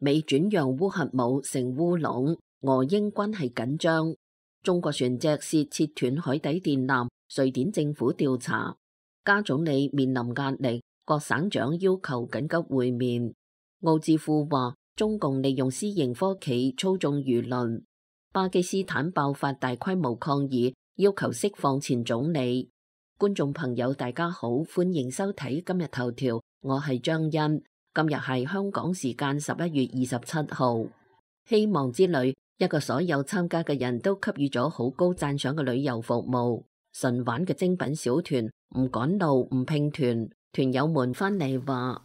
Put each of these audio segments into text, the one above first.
美轉讓烏核武成烏龍，俄英關係緊張。中國船隻涉切斷海底電纜，瑞典政府調查。加總理面臨壓力，各省長要求緊急會面。奧智庫話中共利用私營科企操縱輿論。巴基斯坦爆發大規模抗議，要求釋放前總理。觀眾朋友大家好，歡迎收睇今日頭條，我係張欣。今日係香港時間11月27號。希望之旅一個所有參加嘅人都給予咗好高讚賞嘅旅遊服務，純玩嘅精品小團，唔趕路唔拼團，團友們翻嚟話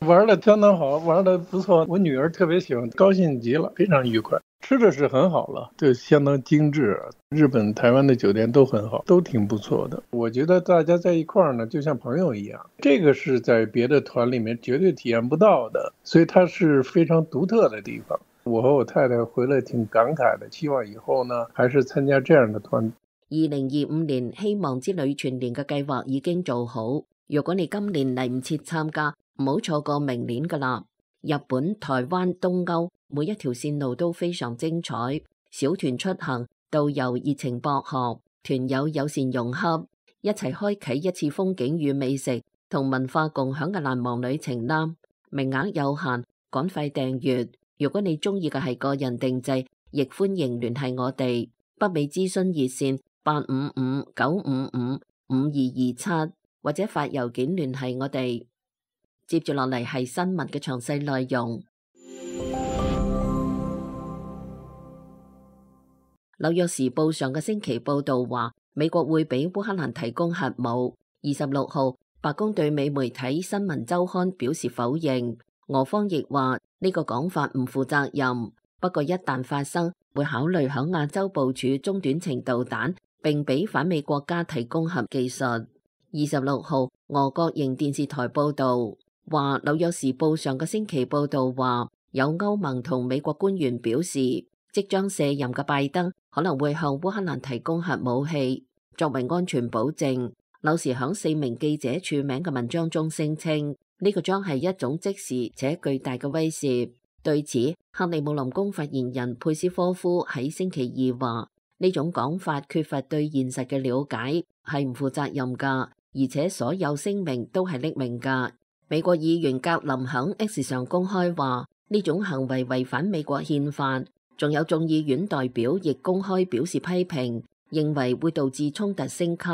玩得相當好，玩得不錯，我女兒特別喜歡，高興極了，非常愉快。吃的是很好了，就相當精緻，日本、台灣的酒店都很好，都挺不錯的。我覺得大家在一塊兒呢，就像朋友一樣，這個是在別的團裡面絕對體驗不到的，所以它是非常獨特的地方。我和我太太回來挺感慨的，希望以後呢，還是參加這樣的團。2025年希望之旅全年嘅計劃已經做好，如果你今年嚟唔切參加，唔好錯過明年噶啦。日本、台灣、東歐每一條線路都非常精彩，小團出行，導遊熱情博學，團友友善融洽，一齊開啟一次風景與美食同文化共享嘅難忘旅程啦！名額有限，趕快訂閱。如果你中意嘅係個人定製，亦歡迎聯繫我哋。北美諮詢熱線855-955-5227，或者發郵件聯繫我哋。接住落嚟係新聞嘅詳細內容。紐約時報上個星期報道話，美國會俾烏克蘭提供核武。26號，白宮對美媒體新聞週刊表示否認，俄方亦話呢個講法唔負責任。不過一旦發生，會考慮響亞洲部署中短程導彈，並俾反美國家提供核技術。26號，俄國營電視台報道話，紐約時報上個星期報道話，有歐盟同美國官員表示，即將卸任嘅拜登可能會向烏克蘭提供核武器作為安全保證。紐時響4名記者署名嘅文章中聲稱，呢個將係一種即時且巨大嘅威懾。對此，克里姆林宮發言人佩斯科夫喺星期二話，呢種講法缺乏對現實嘅了解，係唔負責任噶，而且所有聲明都係匿名噶。美國議員格林響 X 上公開話，呢種行為違反美國憲法。仲有眾議院代表亦公開表示批評，認為會導致衝突升級。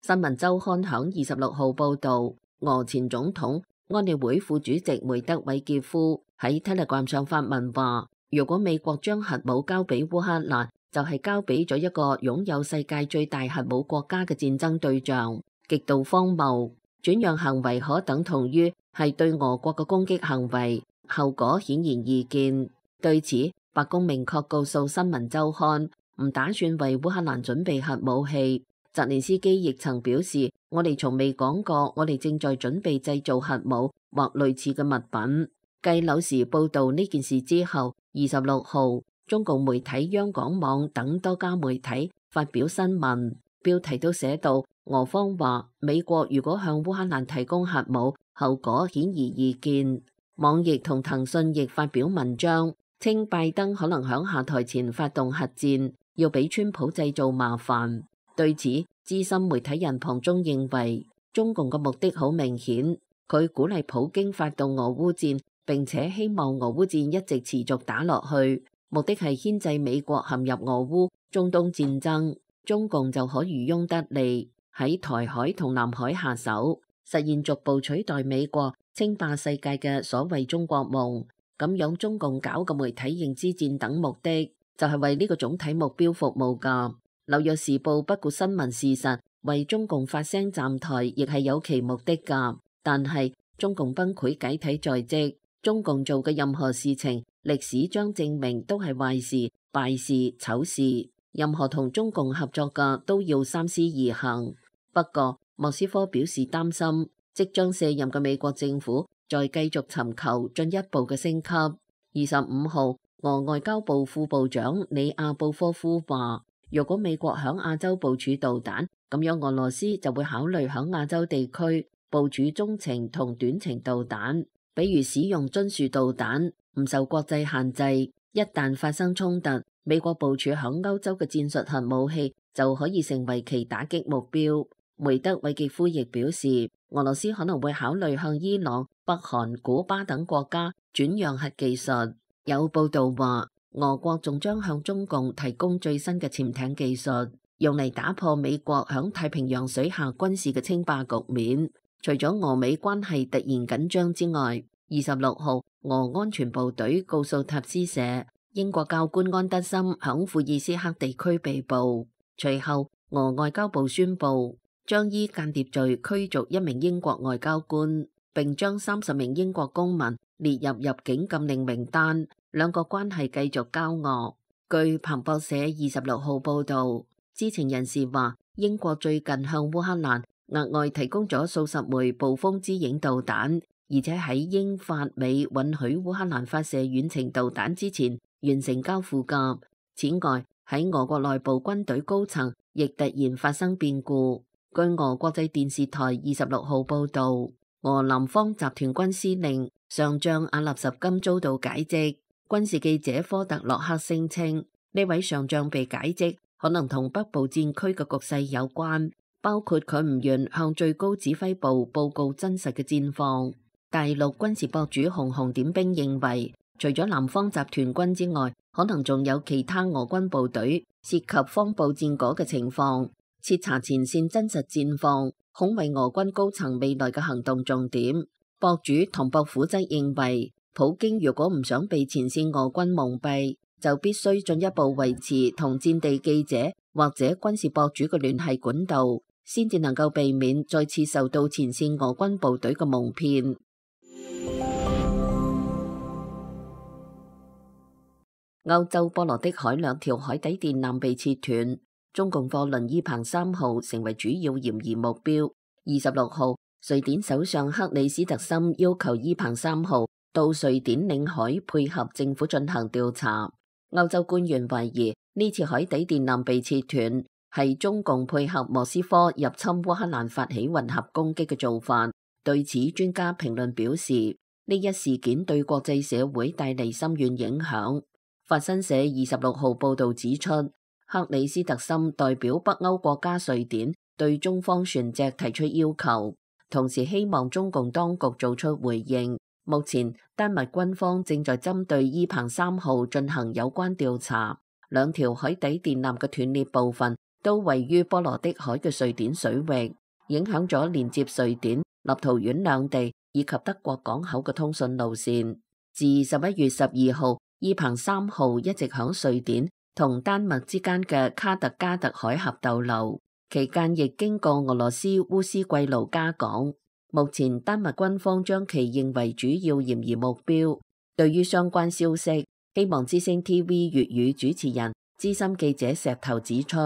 新聞週刊響26號報道，俄前總統安理會副主席梅德韋傑夫喺 Telegram 上發文話，如果美國將核武交俾烏克蘭，就係交俾咗一個擁有世界最大核武國家嘅戰爭對象，極度荒謬。轉讓行為可等同於係對俄國嘅攻擊行為，後果顯然易見。對此，白宮明確告訴新聞週刊，唔打算為烏克蘭準備核武器。澤連斯基亦曾表示，我哋從未講過我哋正在準備製造核武或類似嘅物品。繼紐時報道呢件事之後，26號，中共媒體央廣網等多家媒體發表新聞，標題都寫到，俄方話美國如果向烏克蘭提供核武，後果顯而易見。網易同騰訊亦發表文章，稱拜登可能響下台前發動核戰，要俾川普製造麻煩。對此，資深媒體人龐中認為，中共嘅目的好明顯，佢鼓勵普京發動俄烏戰，並且希望俄烏戰一直持續打落去，目的係牽制美國陷入俄烏、中東戰爭，中共就可漁翁得利，喺台海同南海下手，實現逐步取代美國稱霸世界嘅所謂中國夢。咁樣中共搞嘅媒體認知戰等目的，就係為呢個總體目標服務㗎。紐約時報不顧新聞事實，為中共發聲站台，亦係有其目的㗎。但係中共崩潰解體在即，中共做嘅任何事情，歷史將證明都係壞事、敗事、醜事。任何同中共合作嘅都要三思而行。不過莫斯科表示擔心，即將卸任嘅美國政府再繼續尋求進一步嘅升級。25號，俄外交部副部長里亞布科夫話，如果美國響亞洲部署導彈，咁樣俄羅斯就會考慮響亞洲地區部署中程同短程導彈，比如使用津樹導彈。唔受國際限制。一旦發生衝突，美國部署響歐洲嘅戰術核武器就可以成為其打擊目標。梅德韋傑夫亦表示，俄羅斯可能會考慮向伊朗、北韓、古巴等國家轉讓核技術。有報道話，俄國仲將向中共提供最新嘅潛艇技術，用嚟打破美國響太平洋水下軍事嘅稱霸局面。除咗俄美關係突然緊張之外，26號，俄安全部隊告訴塔斯社，英國教官安德森響庫爾斯克地區被捕。隨後，俄外交部宣布將依間諜罪驅逐一名英國外交官，並將30名英國公民列入入境禁令名單。兩國關係繼續交惡。據彭博社26號報道，知情人士話，英國最近向烏克蘭額外提供咗數十枚暴風之影導彈，而且喺英法美允許烏克蘭發射遠程導彈之前完成交付㗎。此外，喺俄國內部軍隊高層亦突然發生變故。據俄國際電視台26號報道，俄南方集團軍司令上將阿納什金遭到解職。軍事記者科特洛克聲稱，呢位上將被解職可能同北部戰區嘅局勢有關，包括佢唔願向最高指揮部報告真實嘅戰況。大陸軍事博主紅紅點兵認為，除咗南方集團軍之外，可能仲有其他俄軍部隊涉及方布戰果嘅情況，徹查前線真實戰況，恐為俄軍高層未來嘅行動重點。博主唐博虎則認為，普京如果唔想被前線俄軍蒙蔽，就必須進一步維持同戰地記者或者軍事博主嘅聯繫管道，先至能夠避免再次受到前線俄軍部隊嘅蒙騙。歐洲波羅的海2條海底電纜被切斷，中共貨輪伊鵬3號成為主要嫌疑目標。26號，瑞典首相克里斯特森要求伊鵬3號到瑞典領海配合政府進行調查。歐洲官員懷疑呢次海底電纜被切斷係中共配合莫斯科入侵烏克蘭發起混合攻擊嘅做法。對此，專家評論表示，呢一事件對國際社會帶嚟深遠影響。法新社26號報道指出，克里斯特森代表北歐國家瑞典對中方船隻提出要求，同時希望中共當局做出回應。目前，丹麥軍方正在針對伊鵬3號進行有關調查。2條海底電纜嘅斷裂部分都位於波羅的海嘅瑞典水域，影響咗連接瑞典、立陶宛兩地以及德國港口嘅通訊路線。自11月12號，伊鵬3號一直響瑞典同丹麥之間嘅卡特加特海峽逗留，期間亦經過俄羅斯烏斯季盧加港。目前丹麥軍方將其認為主要嫌疑目標。對於相關消息，希望之聲 TV 粵語主持人資深記者石頭指出，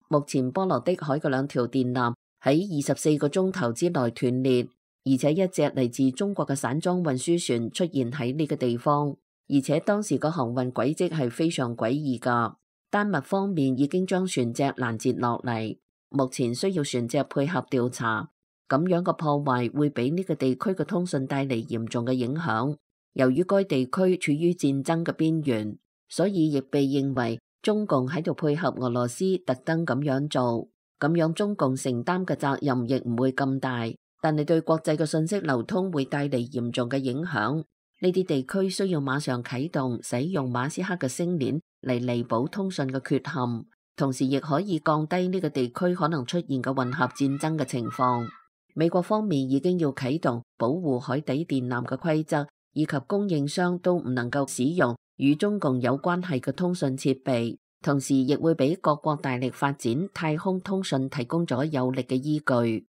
目前波羅的海嘅2條電纜喺24個鐘頭之內斷裂，而且一隻嚟自中國嘅散裝運輸船出現喺呢個地方，而且當時個航運軌跡係非常詭異㗎。丹麥方面已經將船隻攔截落嚟，目前需要船隻配合調查。咁樣嘅破壞會俾呢個地區嘅通訊帶嚟嚴重嘅影響。由於該地區處於戰爭嘅邊緣，所以亦被認為中共喺度配合俄羅斯特登咁樣做。咁樣中共承擔嘅責任亦唔會咁大，但係對國際嘅信息流通會帶嚟嚴重嘅影響。呢啲地區需要馬上啟動使用馬斯克嘅星鏈嚟彌補通訊嘅缺陷，同時亦可以降低呢個地區可能出現嘅混合戰爭嘅情況。美國方面已經要啟動保護海底電纜嘅規則，以及供應商都唔能夠使用與中共有關係嘅通訊設備，同時亦會俾各國大力發展太空通訊提供咗有力嘅依據。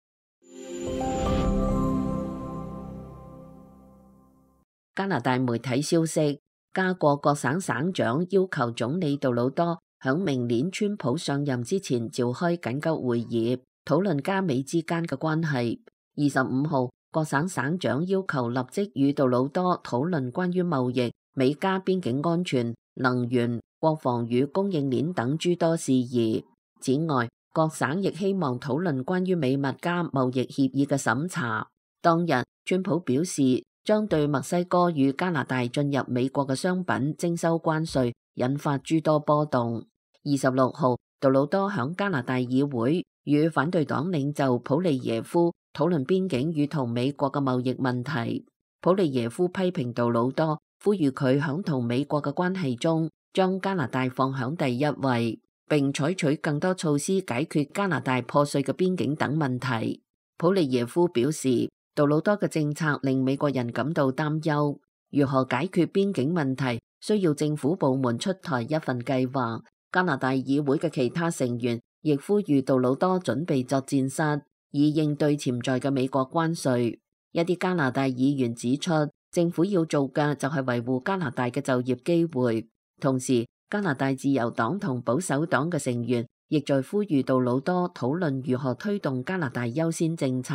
加拿大媒體消息，加國各省省長要求總理杜魯多響明年川普上任之前召開緊急會議，討論加美之間嘅關係。25號，各省省長要求立即與杜魯多討論關於貿易、美加邊境安全、能源、國防與供應鏈等諸多事宜。此外，各省亦希望討論關於美墨加貿易協議嘅審查。當日，川普表示將對墨西哥與加拿大進入美國嘅商品徵收關稅，引發諸多波動。26號，杜魯多響加拿大議會與反對黨領袖普利耶夫討論邊境與同美國嘅貿易問題。普利耶夫批評杜魯多，呼籲佢響同美國嘅關係中將加拿大放響第一位，並採取更多措施解決加拿大破碎嘅邊境等問題。普利耶夫表示，杜魯多嘅政策令美國人感到擔憂，如何解決邊境問題需要政府部門出台一份計劃。加拿大議會嘅其他成員亦呼籲杜魯多準備作戰室，以應對潛在嘅美國關稅。一啲加拿大議員指出，政府要做嘅就係維護加拿大嘅就業機會。同時，加拿大自由黨同保守黨嘅成員亦在呼籲杜魯多討論如何推動加拿大優先政策，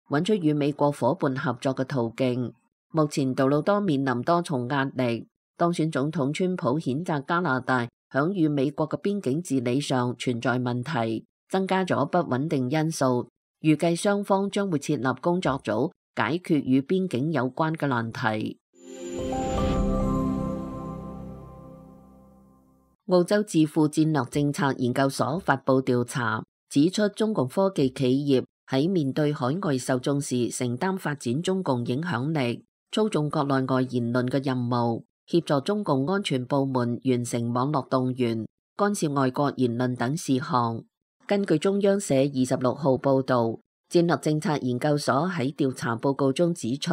揾出與美國夥伴合作嘅途徑。目前杜魯多面臨多重壓力，當選總統川普譴責加拿大響與美國嘅邊境治理上存在問題，增加咗不穩定因素。預計雙方將會設立工作組，解決與邊境有關嘅難題。澳洲智庫戰略政策研究所發佈調查，指出中共科技企業喺面對海外受眾時，承擔發展中共影響力、操縱國內外言論嘅任務，協助中共安全部門完成網絡動員、干涉外國言論等事項。根據中央社26號報導，戰略政策研究所喺調查報告中指出，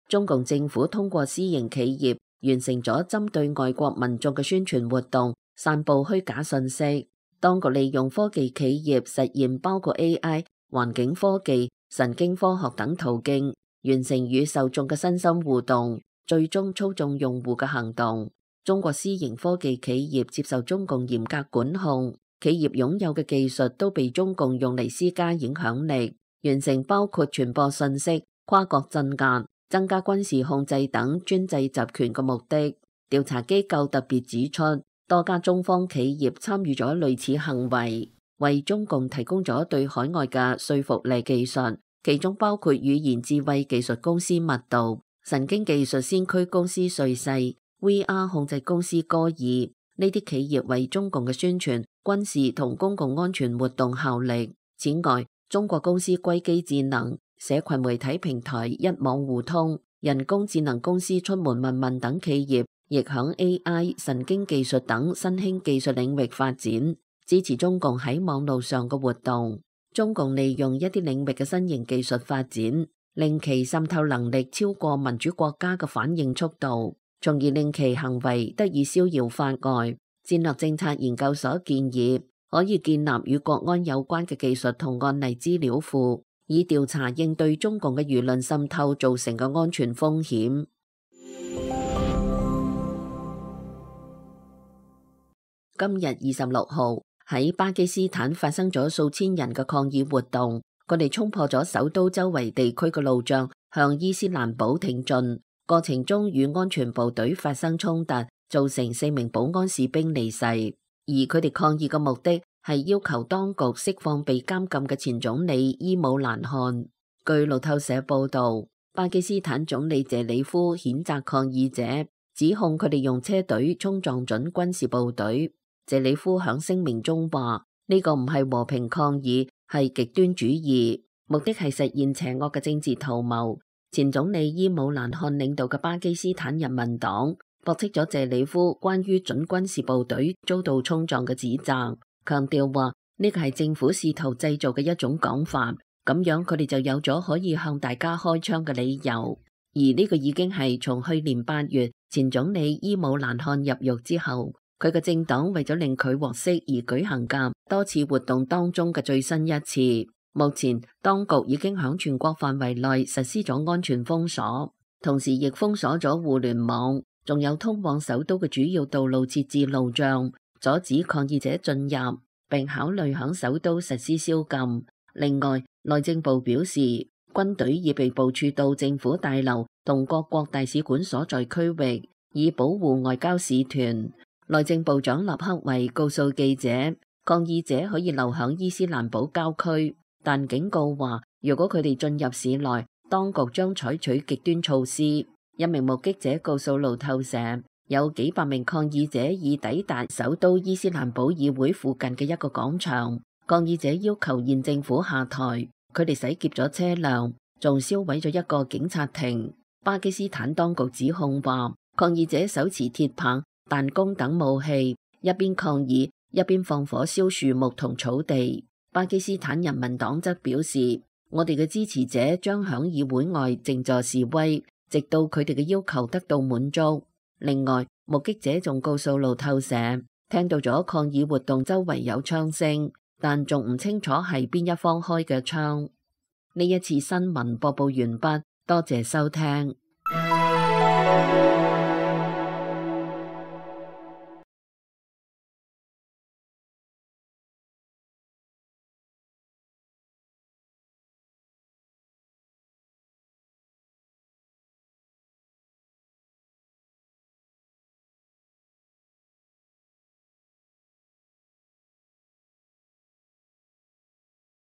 中共政府通過私營企業完成咗針對外國民眾嘅宣傳活動，散佈虛假信息。當局利用科技企業實現包括 AI、環境科技、神經科學等途徑，完成與受眾嘅身心互動，最終操縱用戶嘅行動。中國私營科技企業接受中共嚴格管控，企業擁有嘅技術都被中共用嚟施加影響力，完成包括傳播信息、跨國鎮壓、增加軍事控制等專制集權嘅目的。調查機構特別指出，多家中方企業參與咗類似行為，為中共提供咗對海外嘅說服力技術，其中包括語言智慧技術公司密度、神經技術先驅公司瑞世、VR 控制公司歌爾。呢啲企業為中共嘅宣傳、軍事同公共安全活動效力。此外，中國公司硅基智能、社群媒體平台一網互通、人工智能公司出門問問等企業，亦響 AI、神經技術等新興技術領域發展，支持中共喺網路上嘅活動。中共利用一啲領域嘅新型技術發展，令其滲透能力超過民主國家嘅反應速度，從而令其行為得以逍遙法外。戰略政策研究所建議，可以建立與國安有關嘅技術同案例資料庫，以調查應對中共嘅輿論滲透造成嘅安全風險。今日26號喺巴基斯坦發生咗數千人嘅抗議活動，佢哋衝破咗首都周圍地區嘅路障，向伊斯蘭堡挺進，過程中與安全部隊發生衝突，造成4名保安士兵離世。而佢哋抗議嘅目的係要求當局釋放被監禁嘅前總理伊姆蘭汗。據路透社報道，巴基斯坦總理謝里夫譴責抗議者，指控佢哋用車隊衝撞準軍事部隊。謝里夫響聲明中話：呢個唔係和平抗議，係極端主義，目的係實現邪惡嘅政治圖謀。前總理伊姆蘭汗領導嘅巴基斯坦人民黨駁斥咗謝里夫關於準軍事部隊遭到衝撞嘅指責，強調話呢個係政府試圖製造嘅一種講法，咁樣佢哋就有咗可以向大家開槍嘅理由。而呢個已經係從去年8月前總理伊姆蘭汗入獄之後，佢嘅政黨為咗令佢獲釋而舉行嘅多次活動當中嘅最新一次。目前當局已經響全國範圍內實施咗安全封鎖，同時亦封鎖咗互聯網，仲有通往首都嘅主要道路設置路障，阻止抗議者進入，並考慮響首都實施宵禁。另外，內政部表示，軍隊已被部署到政府大樓同各國大使館所在區域，以保護外交使團。內政部長納克維告訴記者，抗議者可以留響伊斯蘭堡郊區，但警告話，如果佢哋進入市內，當局將採取極端措施。一名目擊者告訴路透社，有幾百名抗議者已抵達首都伊斯蘭堡議會附近嘅一個廣場。抗議者要求現政府下台，佢哋洗劫咗車輛，仲燒毀咗一個警察亭。巴基斯坦當局指控話，抗議者手持鐵棒、彈弓等武器，一邊抗議，一邊放火燒樹木同草地。巴基斯坦人民黨則表示，我哋嘅支持者將響議會外靜坐示威，直到佢哋嘅要求得到滿足。另外，目擊者仲告訴路透社，聽到咗抗議活動周圍有槍聲，但仲唔清楚係邊一方開嘅槍。呢一次新聞播報完畢，多謝收聽。